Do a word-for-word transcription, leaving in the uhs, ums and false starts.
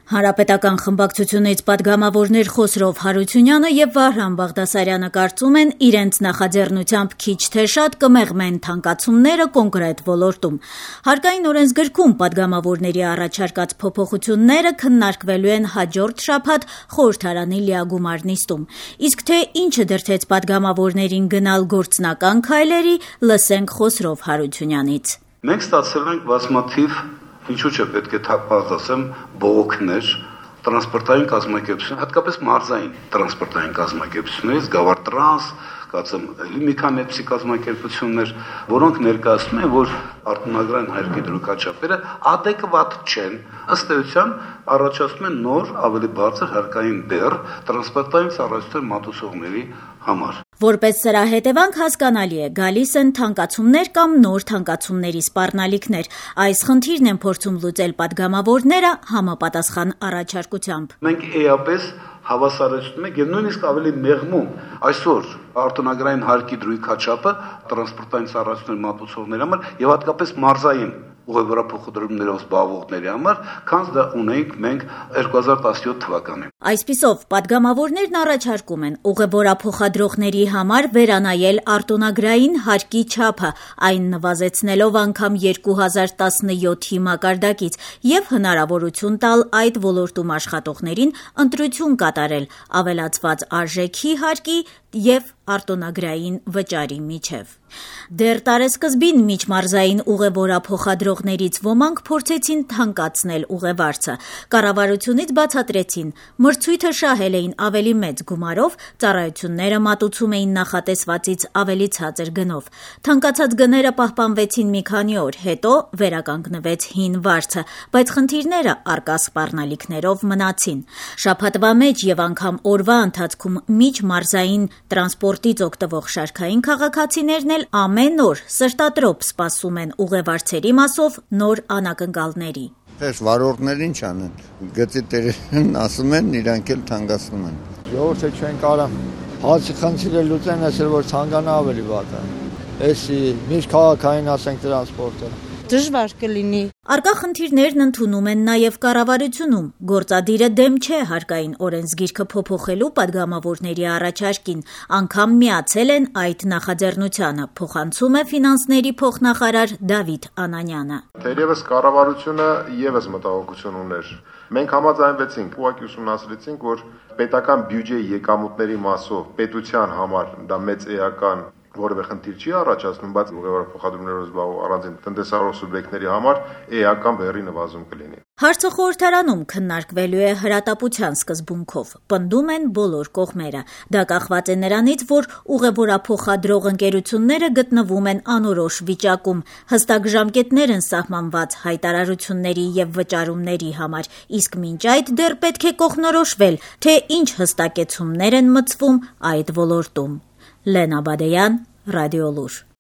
Հանրապետական խմբակցությունից պատգամավորներ Խոսրով Հարությունյանը եւ Վահրամ Բաղդասարյանը կարծում են, իրենց նախաձեռնությամբ քիչ թե շատ կմեղմեն թանկացումները կոնկրետ ոլորտում։ Հարկային օրենսգրքում պատգամավորների առաջարկած փոփոխությունները քննարկվելու են հաջորդ շաբաթ խորհրդարանի լիագումար նիստում։ Իսկ թե ինչը դրդեց պատգամավորներին գնալ գործնական քայլերի, լսենք Խոսրով Հարությունյանից։ Մենք ստացել ենք բազմաթիվ Ինչու՞ չէ պետք է թափված ասեմ բողոքներ տրանսպորտային կազմակերպություն, հատկապես մարզային տրանսպորտային կազմակերպություններից, Գավառ տրանս, կացեմ էլի մի քանի էպսի կազմակերպություններ, որոնք ներկայացնում են, որ արտոնագրային հայրենի դրույքաչափերը adekvat չեն, ըստ էության առաջացնում են նոր ավելի բարձր հարկային բեռ տրանսպորտային ծառայություններ մատուցողների համար։ Որպես սրա հետևանք հասկանալի է, գալիս են թանկացումներ կամ նոր թանկացումների սպառնալիքներ։ Այս խնդիրն են փորձում լուծել պատգամավորները համապատասխան առաջարկությամբ։ Մենք էապես հավասարեցնում ենք եւ նույնիսկ ավելի մեղմում այսօր արտոնագրային հարկի դրույքաչափը տրանսպորտային ծառայություններ մատուցողների համար եւ հատկապես մարզային ուղևորափոխադրումներով զբաղվողների համար, քան դա ունենք մենք երկու հազար տասնյոթ թվականին։ Այսպիսով, պատգամավորներն առաջարկում են ուղևորափոխադրողների համար վերանայել արտոնագրային հարկի չափը, այն նվազեցնելով անգամ երկու հազար տասնյոթի մակարդակից եւ հնարավորություն տալ այդ ոլորտում աշխատողներին ընտրություն կատարել ավելացված արժեքի հարկի եւ արտոնագրային վճարի միջև։ Դեռ տարեսկզբին միջմարզային ուղևորափոխադրողներից ոմանք փորձեցին թանկացնել ուղևարցը։ Կառավարությունից բացատրեցին, մրցույթը շահել էին ավելի մեծ գումարով, ծառայությունները մատուցում էին նախատեսվածից ավելի ցածր գնով։ Թանկացած գները պահպանվեցին մի քանի օր, հետո վերականգնվեց հին վարձը, բայց խնդիրները առկա սպառնալիքներով մնացին։ Շաբաթվա մեջ եւ անգամ օրվա ընթացքում միջմարզային տրանսպորտից օգտվող շարքային քաղաքացիներն էլ ամեն օր սրտատրոփ սպասում են ուղևարցերի մասով նոր անակնկալների։ Այս վարորդներ ինչ անեն։ Գծի տերերն ասում են, իրանք էլ թանկացնում են։ Ժողովուրդը չեն կարող հացի խնդիրը լուծեն, ասել որ ցանկանա ավելի վատ է։ Էսի միշտ քաղաքային ասենք տրանսպորտը դժվար կլինի։ Առկա խնդիրներն ընդունում են նաև կառավարությունում։ Գործադիրը դեմ չէ հարկային օրենսգիրքը փոփոխելու պատգամավորների առաջարկին, անգամ միացել են այդ նախաձեռնությանը, փոխանցում է ֆինանսների փոխնախարար Դավիթ Անանյանը։ Թերևս կառավարությունը եւս մտահոգություն ուներ։ Մենք համաձայնվեցինք, ուղղակի ուսումնասիրեցինք, որ պետական բյուջեի եկամուտների մասով պետության համար դա մեծ էական որևէ խնդիր չի առաջացնում, բայց ուղևորափոխադրումներով զբաղվող առանձին տնտեսարող սուբյեկտների համար էական բեռի նվազում կլինի։ Հարցը խորհրդարանում քննարկվելու է հրատապության սկզբունքով, պնդում են բոլոր կողմերը։ Դա կախված է նրանից, որ ուղևորափոխադրող ընկերությունները գտնվում են անորոշ վիճակում, հստակ ժամկետներ են սահմանված հայտարարությունների եւ վճարումների համար, իսկ մինչ այդ դեռ պետք է կողմնորոշվել, թե ինչ հստակեցումներ են մտցվում այդ ոլորտում։ Լենա Բադեյան, Ռադիոլուր։